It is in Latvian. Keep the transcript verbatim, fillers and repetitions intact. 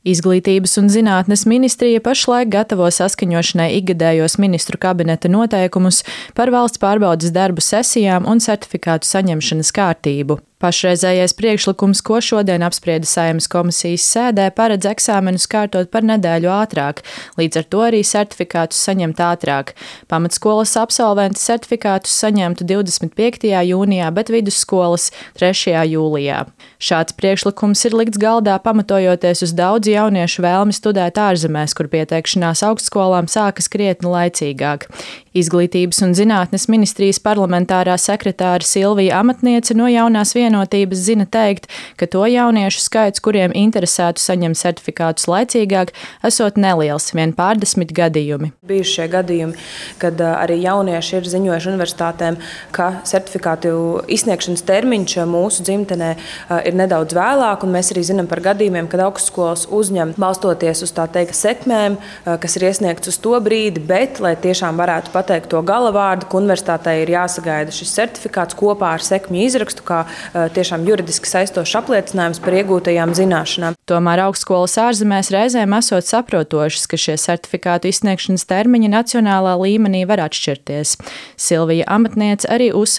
Izglītības un zinātnes ministrija pašlaik gatavo saskaņošanai ikgadējos ministru kabineta noteikumus par valsts pārbaudes darbu sesijām un certifikātu saņemšanas kārtību. Pašreizējais priekšlikums, ko šodien apsprieda Saeimas komisijas sēdē, paredz eksāmenus kārtot par nedēļu ātrāk, līdz ar to arī certifikātus saņemt ātrāk. Pamatskolas absolventi certifikātus saņemtu divdesmit piektajā jūnijā, bet vidusskolas trešajā jūlijā. Šāds priekšlikums ir likts galdā pamatojoties uz daudzu jauniešu vēlmi studēt ārzemēs, kur pieteikšanās augstskolām sākas krietni laicīgāk. Izglītības un zinātnes ministrijas parlamentārā sekretāra Silvija Amatniece no Jaunās vienotības zina teikt, ka to jauniešu skaits, kuriem interesētu saņemt certifikātus laicīgāk, esot neliels, vien pārdesmit gadījumi. Bijuši šie gadījumi, kad arī jaunieši ir ziņojuši universitātēm, ka certifikātu izsniegšanas termiņš mūsu dzimtenē ir nedaudz vēlāk, un mēs arī zinām par gadījumiem, kad augstskolas uzņem balstoties uz tā teikt sekmēm, kas ir iesniegts uz to brīdi, bet, lai tiešām varētu pateikt to galavārdu, ka universitātei ir jāsagaida šis certifikāts kopā ar sekmju izrakstu, kā tiešām juridiski saistošs apliecinājums par iegūtajām zināšanām. Tomēr augstskolas ārzemēs reizēm esot saprotošas, ka šie certifikātu izsniegšanas termiņi nacionālā līmenī var atšķirties. Silvija Amatniece arī uzsver,